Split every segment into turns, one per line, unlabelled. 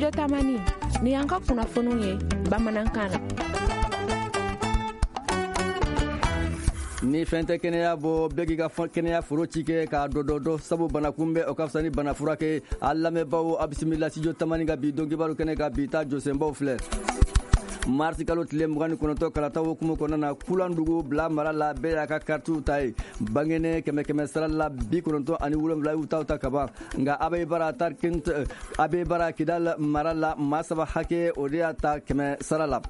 Studio Tamani ni y'an ka kunnafoniw ye bamanankan na.
Ni fɛn tɛ kɛnɛya bɔ, bɛɛ k'i ka kɛnɛya foro ci kɛ k'a dɔdɔdɔ, sabu bana kunbɛn o ka fisa ni bana furakɛ. A lamɛnbaaw, a bisimila Studio Tamani ka bi don kibaru kɛnɛ kan. Bi ta jɔsenbaw filɛ: marisi kalo tile 29, kalata hukumu kɔnɔna na, Kulandugu bila mara la, bɛɛ y'a ka karitiw ta ye. Bangene, kɛmɛ kɛmɛ sara la 97 y'u taw ta kaban. Nka Abeibara Tarkint, Abeibara Kidal mara la, maa 3 hakɛ o de y'a ta kɛmɛ sara la.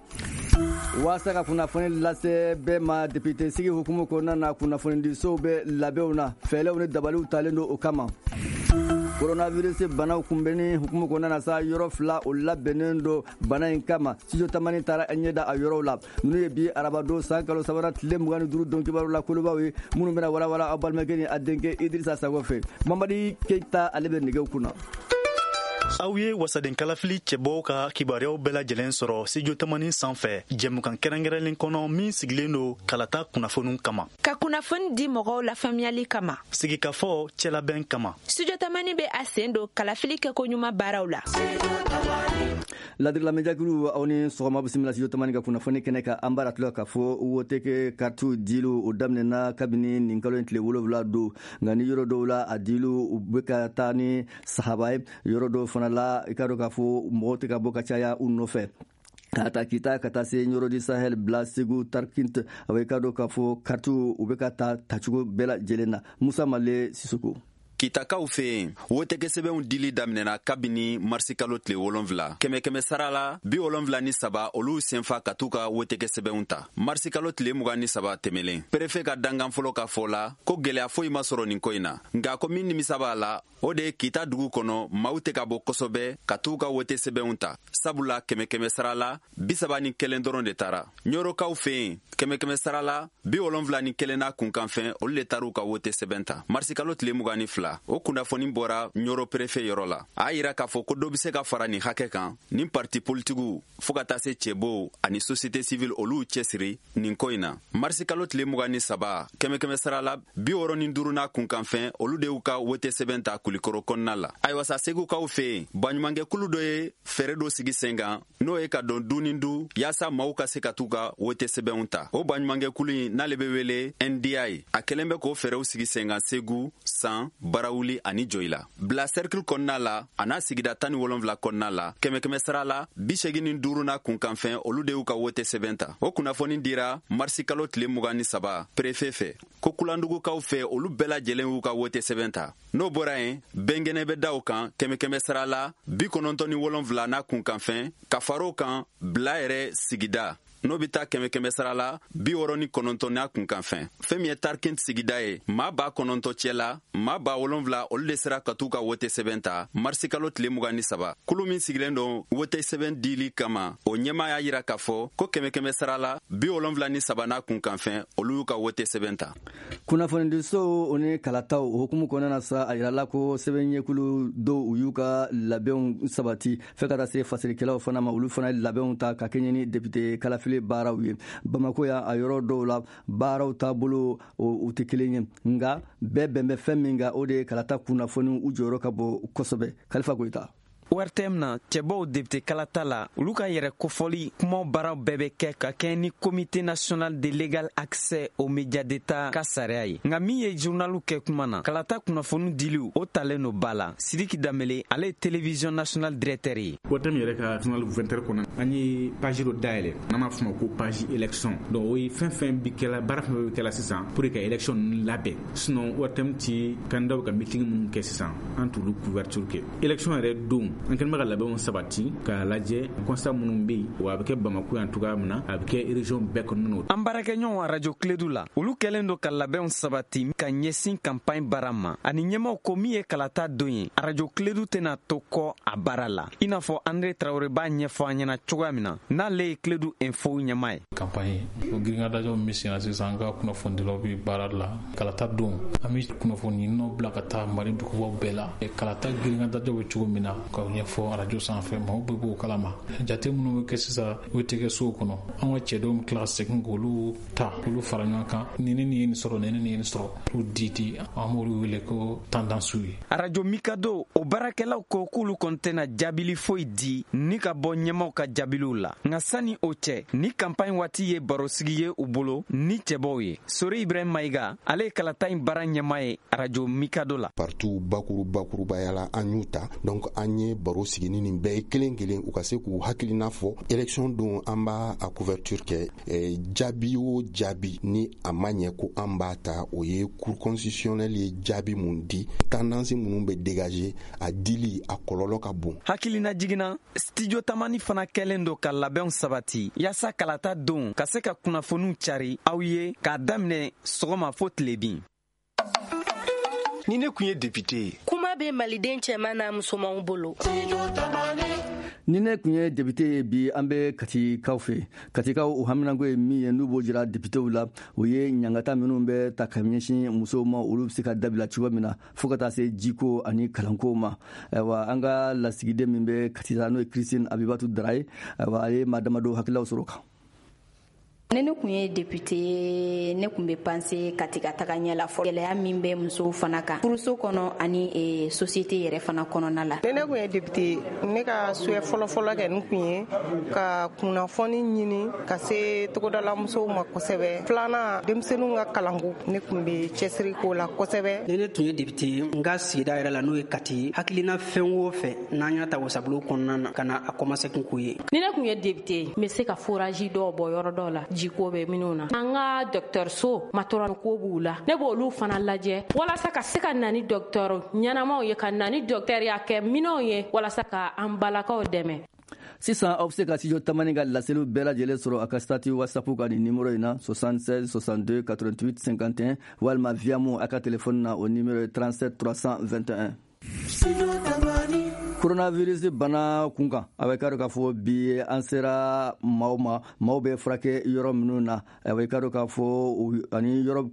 Waasa ka kunnafoni lase bɛɛ ma depite sigi hukumu kɔnɔna na, kunnafonidisow bɛ labɛnw na, fɛɛrɛw ni dabaliw talen don o kama. Coronavirus banaw kunbɛnni hukumu kɔnɔna na sa, yɔrɔ 2 o labɛnnen don bana in kama. Studio Tamani taara ɲɛ da a yɔrɔw la. Ninnu ye bi arabadon san kalo sabanan tile 25 don kibaru la kolobaw ye, minnu bɛna walawala aw balimakɛ ni a denkɛ Idrissa Sago fɛ. Mamadi Keita, ale bɛ nɛgɛw kunna.
Aw ye wasaden kalafili cɛbɔw ka kibaruyaw bɛɛ lajɛlen sɔrɔ Studio Tamani sanfɛ, jɛmukan kɛrɛnkɛrɛnlen kɔnɔ min sigilen don kalata kunnafoniw kama,
ka kunnafoni di mɔgɔw lafaamuyali kama,
sigikafɔ cɛlabɛn kama.
Studio Tamani bɛ a sen don kalafili kɛko ɲuman baaraw la.
Ladiri lamɛnjakulu, aw ni sɔgɔma, bisimila Studio Tamani ka kunnafoni kɛnɛ kan. An b'a tila k'a fɔ wote kɛ karitiw diliw o daminɛna kabini nin kalo in tile 7 don. Nka ni yɔrɔ dɔw la, a diliw u bɛ ka taa ni sahaba ye, yɔrɔ dɔw fana la, i k'a dɔn k'a fɔ mɔgɔw tɛ ka bɔ ka caya u nɔfɛ. Ka ta Kita ka taa se Ɲɔrɔ du Sahel, bila Segu, Tarkint, a bɛ i k'a dɔn k'a fɔ karitiw u bɛ ka ta tacogo bɛɛ lajɛlen na. Musa Male Sisoko.
Kitakaw fɛ yen, wotekɛsɛbɛnw dili daminɛna kabini marisikalo tile 7. Kɛmɛ kɛmɛ sara la, 73 olu senfa ka t'u ka wotekɛsɛbɛnw ta marisikalo tile 23 tɛmɛlen. Perefe ka dankan fɔlɔ ka fɔ la ko gwɛlɛya foyi ma sɔrɔ nin ko in na. Nka ko min nimisa b'a la, o de ye Kita dugu kɔnɔ, maaw tɛ ka bɔ kosɛbɛ ka t'u ka wote sɛbɛnw ta, sabula kɛmɛ kɛmɛ sara la, 31 dɔrɔn de taara. Ɲɔrɔkaw fɛ yen, kɛmɛ kɛmɛ sara la, 71 n'a kunkanfɛn, olu de taar'u ka wote sɛbɛn ta marisikalo tile 22. O kunnafoni bɔra Ɲɔrɔ perefe yɔrɔ la. A y'a yira k'a fɔ ko dɔ be se ka fara nin hakɛ kan ni parti politigiw, fɔɔ ka taa se cɛbow ani société civile, olu cɛsiri nin ko in na. Marisikalo tile 23, kɛmɛ kɛmɛ sara la, 65 n'a kunkanfɛn, olu de y'u ka wote sɛbɛn ta Kulikoro kɔnɔna la. Ayiwa sa, Segukaw fɛ yen, baɲumankɛkulu dɔ ye fɛɛrɛ dɔ sigi sen kan, n'o ye ka don du ni du yaasa maaw ka se ka t'u ka wote sɛbɛnw ta. O baɲumankɛkulu in n'ale bɛ wele NDI, a kɛlen bɛ k'o fɛɛrɛw sigi sen kan Segu, San, Barawuli ani Joyila. Bila cercle kɔnɔna la a n'a sigida 17 kɔnɔna la, kɛmɛ kɛmɛ sara la, 85 n'a kunkanfɛn, olu de y'u ka wote sɛbɛn ta. O kunnafoni dira marisi kalo tile 23 perefe fɛ. Ko Kulandugukaw fɛ, olu bɛɛ lajɛlen y'u ka wote sɛbɛn ta. N'o bɔra yen, bɛnkɛnɛ bɛ da o kan, kɛmɛ kɛmɛ sara la, 97 n'a kunkanfɛn. Ka far'o kan, Bila yɛrɛ sigida, n'o bɛ taa kɛmɛ kɛmɛ sara la, 69 n'a kunkanfɛn. Fɛn min ye Tarkint sigida ye, maa 9000 cɛ la, maa 7000, olu de sera ka t'u ka wote sɛbɛn ta marisikalo tile 23. Kulu min sigilen don wote sɛbɛn dili kama, o ɲɛmaa y'a yira k'a fɔ ko kɛmɛ kɛmɛ sara la, 73 n'a kunkanfɛn, olu y'u ka wote sɛbɛn ta.
Kunnafonidisow o ni kalataw o hukumu kɔnɔna na sa, a yirala ko sɛbɛnɲɛkulu dɔw u y'u ka labɛnw sabati fɛ ka taa se fasirikɛlaw fana ma. Olu fana ye labɛnw ta ka kɛɲɛ ni depite kalafili baaraw ye. Bamako yan, a yɔrɔ dɔw la, baaraw taabolo u tɛ kelen ye, nka bɛɛ bɛn bɛ fɛn min kan, o de ye kalata kunnafoniw u jɔyɔrɔ ka bon kosɛbɛ. Kalifa Goyita.
ORTM na, cɛbɔw depite kalata la, olu ka yɛrɛ kofɔli kumaw baaraw bɛɛ bɛ kɛ ka kɛɲɛ ni Comité national de l'égal accès aux médias d'État ka sariya ye. Nka min ye journaliw kɛ kuma na, kalata kunnafoni diliw o talen no ba la. Sidiki Danbele, ale ye télévision nationale directeur ye.
ORTM yɛrɛ ka journal 20 heures kɔnɔ, an ye page dɔ dayɛlɛ n'an b'a fɔ ma ko page élection. Donc o ye fɛn fɛn bi kɛla, baara fɛn fɛn bɛ kɛla sisan pour que ka élection ninnu labɛn. Sinon ORTM ti candidat ka meeting minnu kɛ sisan, an t'olu couverture kɛ. Élection yɛrɛ don, an kɛlen bɛ ka labɛnw sabati k'a lajɛ constat minnu bɛ yen, wa a bɛ kɛ Bamako yan cogoya min na, a bɛ kɛ région bɛɛ kɔnɔna na.
An baarakɛɲɔgɔn radio Kledu la, olu kɛlen don ka labɛnw sabati ka ɲɛsin campagne baara ma, ani ɲɛmaw ko min ye kalata don ye, radio Kledu tɛna to kɔ a baara la, i n'a fɔ André Traoré b'a ɲɛfɔ an ɲɛna cogoya min na, n'ale ye Kledu info ɲɛmaa ye.
Campagne o giringadajɔ min bɛ senna sisan, an ka kunnafonidilaw bɛ baara la. Kalata don, an bɛ kunnafoni ɲininaw bila ka taa Mali dugubaw bɛɛ la, kalata giringadajɔ bɛ cogo min na, ka ɲɛfɔ arajo sanfɛ, maaw bɛɛ b'o kalama. Jate minnu bɛ kɛ sisan wotekɛsow kɔnɔ, an ka cɛdenw bɛ tila ka segin k'olu ta, k'olu fara ɲɔgɔn kan, ni ne nin ye nin sɔrɔ, ni ne nin ye nin sɔrɔ, olu di, an b'olu wele ko tendancew ye.
Arajo Mikado o baarakɛlaw ko k'olu kɔni tɛna jaabili foyi di ni ka bɔ ɲɛmaw ka jaabiliw la. Nka sani o cɛ, ni campagne waati ye barosigi ye u bolo ni cɛbɔw ye. Sori Ibrahim Mayiga, ale ye kalata in baara ɲɛmaa ye arajo Mikado la.
Partout bakurubaya la, an y'u ta. Donc an ye baro sigi ni nin bɛɛ ye kelen kelen, u ka se k'u hakilina fɔ. Élection don, an b'a a couverture kɛ. Jaabi o jaabi ni a ma ɲɛ ko an b'a ta, o ye Cour constitutionnelle ye jaabi mun di, tendance minnu bɛ dégager, a dili a kɔlɔlɔ ka bon.
Hakilina jiginna, Studio Tamani fana kɛlen don ka labɛnw sabati yaasa kalata don ka se ka kunnafoniw cari aw ye k'a daminɛ sɔgɔma fo tilebin.
Ni ne kun ye député ye.
Kuma bɛ maliden cɛman n'a musomanw bolo.
Ni ne kun ye député ye. Bi, an bɛ Katikaw fɛ. Katikaw, u haminanko ye min ye, n'u b'o jira députéw la, o ye ɲangata minnu bɛ ta ka ɲɛsin musow ma, olu bɛ se ka dabila cogo min na, fo ka taa se jiko ani kalanko ma. Ayiwa, an ka lasigiden min bɛ Kati, n'o ye Christine Abibatu Dara ye, ayiwa, a ye maa damadɔ hakililaw sɔrɔ kan.
Ni ne kun ye député, ne kun bɛ penser Kati ka taga ɲɛ la fɔ gɛlɛya min bɛ musow fana kan furuso kɔnɔ ani société yɛrɛ fana kɔnɔna la.
Ni ne kun ye député, ne ka souhait fɔlɔfɔlɔ kɛ nin kun ye ka kunnafoni ɲini ka se togodala musow ma kosɛbɛ. Filanan, denmisɛnninw ka kalanko, ne kun bɛ cɛsiri k'o la kosɛbɛ.
Ni ne tun ye député, n ka sigida yɛrɛ la, n'o ye Kati, hakilina fɛn o fɛn n'an y'a ta wasabulon kɔnɔna na ka na a commencé kun k'o ye.
Ni ne kun ye député, n bɛ se ka forage dɔw bɔ yɔrɔ dɔw la, jiko bɛ minnu na. An ka dɔgɔtɔrɔso matɔrɔn ko b'u la, ne b'olu fana lajɛ walasa ka se ka na ni dɔgɔtɔrɔ ɲɛnamaw ye, ka na ni dɔgɔtɔrɔya kɛ minɛnw ye, walasa ka an balakaw dɛmɛ.
Sisan, aw bɛ se ka Studio Tamani ka laseliw bɛɛ lajɛlen sɔrɔ a ka statut WhatsApp kan nin numéro in na: 76 62 88 51, walima Viamo a ka téléphone na, o numéro ye 37 321. Coronavirus bana kun kan, a bɛ ka dɔn k'a fɔ bi an sera maaw ma, maaw bɛ furakɛ yɔrɔ minnu na, a bɛ ka dɔn k'a fɔ ani yɔrɔ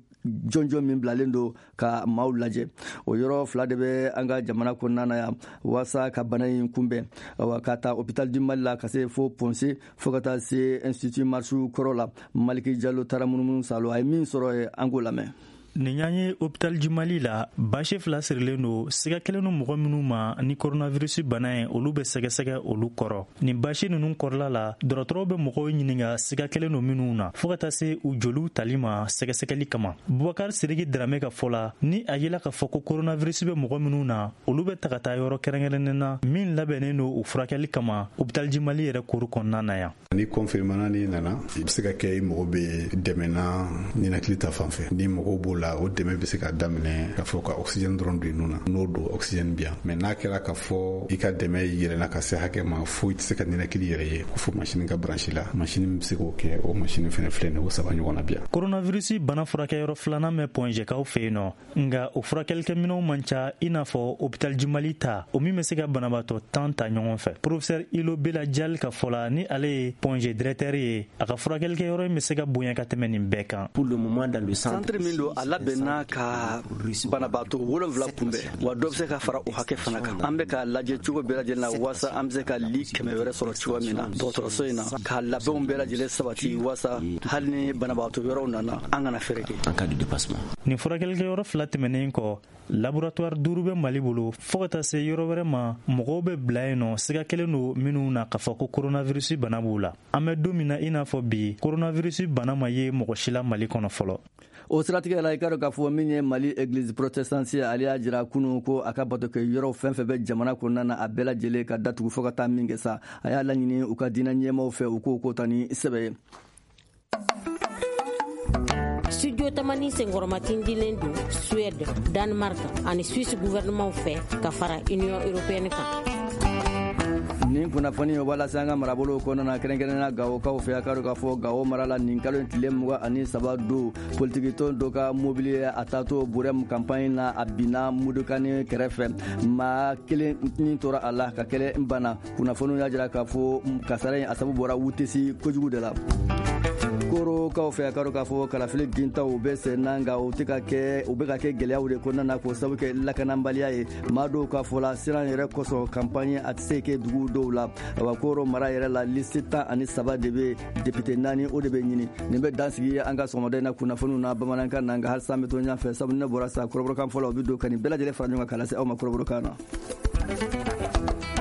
jɔnjɔn min bilalen don ka maaw lajɛ, o yɔrɔ fila de bɛ an ka jamana kɔnɔna na yan walasa ka bana in kunbɛn. Awa, ka taa Hôpital du Mali la ka se fo Point G, fo ka taa se Institut Marchoux kɔrɔ la, Maliki Jalo taara munumunu salo, a ye min sɔrɔ yen, an k'o lamɛn.
Nin y'an ye Hôpital du Mali la. Basi fila sirilen don, siga kɛlen don mɔgɔ minnu ma ni coronavirus bana ye, olu bɛ sɛgɛsɛgɛ olu kɔrɔ. Nin basi ninnu kɔrɔla la, dɔgɔtɔrɔw bɛ mɔgɔw ɲininka siga kɛlen don minnu na, fɔɔ ka taa se u joliw tali ma sɛgɛsɛgɛli kama. Bubakar Siriki Darame ka fɔ la, ni a yela k'a fɔ ko coronavirus bɛ mɔgɔ minnu na, olu bɛ ta ka taa yɔrɔ kɛrɛnkɛrɛnnen na min labɛnnen don u furakɛli kama Hôpital du Mali yɛrɛ kuru kɔnɔna na yan.
Ni confirmana, n'i nana, i bɛ se ka kɛ i mago bɛ dɛmɛ na ninakili ta fan fɛ. Ni mago b'o la, o dɛmɛ bɛ se ka daminɛ k'a fɔ ka oxygène dɔrɔn don i nun na, n'o don oxygène bi yan. Mais n'a kɛra k'a fɔ i ka dɛmɛ yɛlɛnna ka se hakɛ ma fo i tɛ se ka ninakili yɛrɛ ye, ko fo machine ka brancher la, machine min bɛ se k'o kɛ, o machine fɛnɛ filɛ nin, o saba ɲɔgɔn na bi yan.
Coronavirus bana furakɛyɔrɔ filanan bɛ Point G kaw fɛ yen nɔ, nka o furakɛlikɛminɛnw man ca i n'a fɔ Hôpital du Mali ta, o min bɛ se ka banabaatɔ 10 ta ɲɔgɔn fɛ. Professeur Ilo Bela Jali ka fɔ la, ni ale ye Point G directeur ye, a ka furakɛlikɛyɔrɔ in bɛ se ka bonya ka tɛmɛ nin bɛɛ kan.
Pour le moment, dans le centre,
centre min don, a labɛnna ka banabaatɔ 7 kunbɛn, wa dɔ bɛ se ka fara o hakɛ fana kan. An bɛ ka lajɛ cogo bɛɛ lajɛlen na waasa an bɛ se ka lit 100 wɛrɛ sɔrɔ cogo min na dɔgɔtɔrɔso in na, ka labɛnw bɛɛ lajɛlen sabati waasa hali ni banabaatɔ wɛrɛw nana, an kana fɛrɛ kɛ.
En cas de dépassement.
Nin furakɛlikɛyɔrɔ fila tɛmɛnen kɔ, laboratoire duuru bɛ Mali bolo, fɔɔ ka taa se yɔrɔ wɛrɛ ma, mɔgɔw bɛ bila yen nɔ, siga kɛlen don minnu na k'a fɔ ko coronavirus bana b'u la. An bɛ don min na i n'a fɔ bi, coronavirus bana ma ye mɔgɔ si la Mali kɔnɔ fɔlɔ.
O siratigɛ la, i ka dɔn k'a fɔ min ye Mali Église protestante ye, ale y'a jira kunun ko a ka bato kɛ yɔrɔ fɛn fɛn bɛ jamana kɔnɔna na, a bɛɛ lajɛlen ka datugu fo ka taa min kɛ sa. A y'a laɲini u ka diinɛ ɲɛmaw fɛ, u k'o ko ta ni sɛbɛ ye.
Studio Tamani senkɔrɔmatindilen don Suède, Danemark ani Suisse gouvernement fɛ ka fara Union européenne kan.
Nin kunnafoni o b'a lase an ka marabolo kɔnɔna na, kɛrɛnkɛrɛnnenya Gawokaw fɛ. A ka dɔn k'a fɔ Gawo mara la, nin kalo in tile 23 don, politikitɔn dɔ ka mobili ye a taatɔ Burɛmu campagne na, a binna Mudukani kɛrɛfɛ, maa kelen ni tora a la ka kelen bana. Kunnafoniw y'a jira k'a fɔ kasara in a sababu bɔra wutesi kojugu de la. Koro. Segukaw fɛ, a ka dɔn k'a fɔ kalafili gintaw bɛ sen na, nka o tɛ ka kɛ, u bɛ ka kɛ gɛlɛyaw de kɔnɔna na, k'o sabu kɛ lakanabaliya ye. Maa dɔw ka fɔ la, siran yɛrɛ kosɔn, campagne a tɛ se kɛ dugu dɔw la. Awa, Koro mara yɛrɛ la, liste 13 de bɛ, député naani o de bɛ ɲini. Nin bɛ dan sigi an ka sɔgɔmada in na kunnafoniw na bamanankan na, nka halisa an bɛ to ɲɛfɛ fɛ, sabu ne bɔra sa kɔrɔbɔrɔkan fɔlɔ, o bɛ don ka nin bɛɛ lajɛlen fara ɲɔgɔn kan k'a lase aw ma kɔrɔbɔrɔkan na.